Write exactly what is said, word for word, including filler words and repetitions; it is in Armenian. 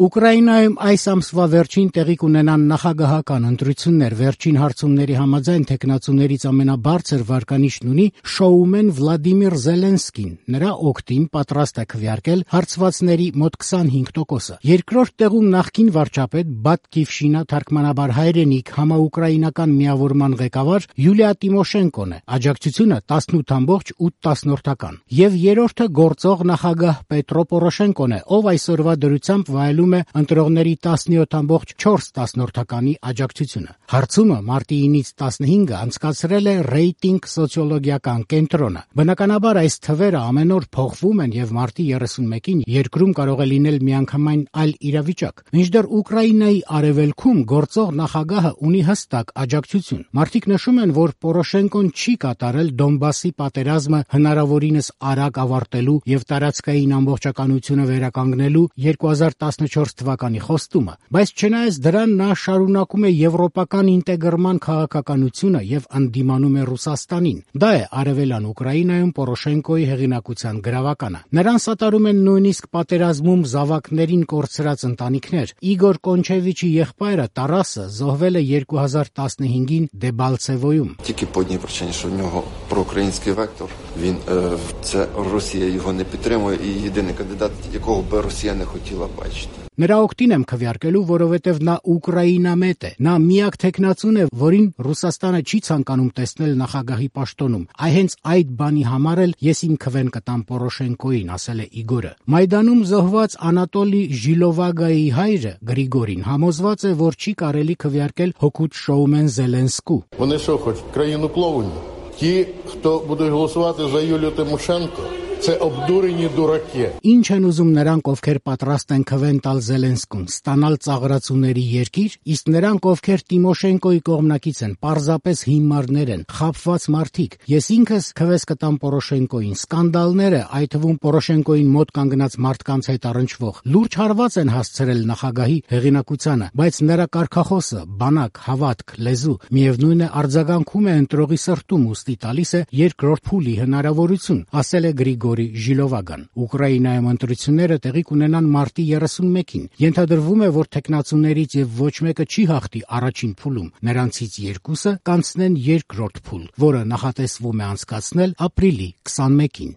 Ուկրաինայում այս ամսվա վերջին տեղի կունենան նախագահական ընտրություններ։ Վերջին հարցումների համաձայն թեկնածուներից ամենաբարձր վարկանիշն ունի շոումեն Վլադիմիր Զելենսկին։ Նրա օգտին պատրաստ է քվեարկել հարցվածների մոտ քսանհինգ տոկոսը։ Երկրորդ տեղում նախկին վարչապետ Բատկիվշինա թարգմանաբար հայրենիք համաուկրաինական միավորման ղեկավար Յուլիա Տիմոշենկոն է։ Աջակցությունը տասնութ ամբողջ ութ, եւ երրորդը գործող նախագահ Պետրո Պորոշենկոն է, ով այսօրվա դրությամբ վայելում է ընտրողների տասնյոթ ամբողջ չորս աջակցությունը։ Հարցումը մարտի ինից տասնհինգը անցկացրել է ռեյտինգ սոցիոլոգիական կենտրոնը։ Բնականաբար այս թվերը ամեն օր փոխվում են եւ մարտի երեսունմեկին երկրում կարող է լինել միանգամայն այլ իրավիճակ։ Մինչդեռ Ուկրաինայի արևելքում գործող նախագահը ունի հստակ աջակցություն։ Մարդիկ նշում են, որ Պորոշենկոն չի կատարել Դոնբասի պատերազմը հնարավորինս արագ ավարտելու եւ տարածքային ամբողջականությունը վերականգնելու երկու հազար տասնչորս թվականի խոստումը, բայց չնայած դրան նա շարունակում է եվրոպական ինտեգրման քաղաքականությունը եւ ընդդիմանում է Ռուսաստանին։ Դա է արևելյան Ուկրաինայում Պորոշենկոյի հեղինակության գրավականը։ Նրան սատարում են նույնիսկ պատերազմում զավակներին կորցրած ընտանիքներ։ Իգոր Կոնչևիչի եղբայրը Տարասը զոհվել է երկու հազար տասնհինգին Դեբալցևոյում։ Тільки по одній причині, що в нього проукраїнський вектор. Він е, це Росія його не підтримує, і єдиний кандидат, якого би Росія не хотіла бачити. Նրա օգտին եմ քվեարկելու, որովհետև նա ուկրաինամետ է։ Նա միակ թեկնածուն է, որին Ռուսաստանը չի ցանկանում տեսնել նախագահի պաշտոնում։ Այ հենց այդ բանի համար էլ ես իմ քվեն կտամ Պորոշենկոյին, ասել է Իգորը։ Մայդանում զոհված Անատոլի Ժիլովագայի հայրը Գրիգորին համոզված է, որ չի կարելի քվեարկել հօգուտ շոումեն Զելենսկու։ Вони що хочуть країну плавання? Ті, хто будуть голосувати за Юлію Тимошенко, це обдурені дураки. Ինչ են ուզում նրանք, ովքեր պատրաստ են քվեն տալ Զելենսկուն, ստանալ ծաղրացուների երկիր, իսկ նրանք, ովքեր Տիմոշենկոյի կողմնակից են, պարզապես հիմարներ են, խաբված մարդիկ։ Ես ինքս քվես կտամ Պորոշենկոյին։ Սկանդալները, այդ թվում Պորոշենկոյին մոտ կանգնած մարդկանց հետ առնչվող, լուրջ հարված են հասցրել նախագահի հեղինակությանը, բայց նրա կարգախոսը, բանակ, հավատք, լեզու, միևնույն է արձագանքում է ընտրողի սրտում, ուստի տալիս է երկրորդ փուլի հնարավորություն, ասել է Գրիգորի Ժիլովագան։ Ուկրաինայում ընտրությունները տեղի կունենան մարտի երեսունմեկին։ Ենթադրվում է, որ թեկնածուներից եւ ոչ մեկը չի հաղթի առաջին փուլում։ Նրանցից երկուսը կանցնեն երկրորդ փուլ, որը նախատեսվում է անցկացնել ապրիլի քսանմեկին։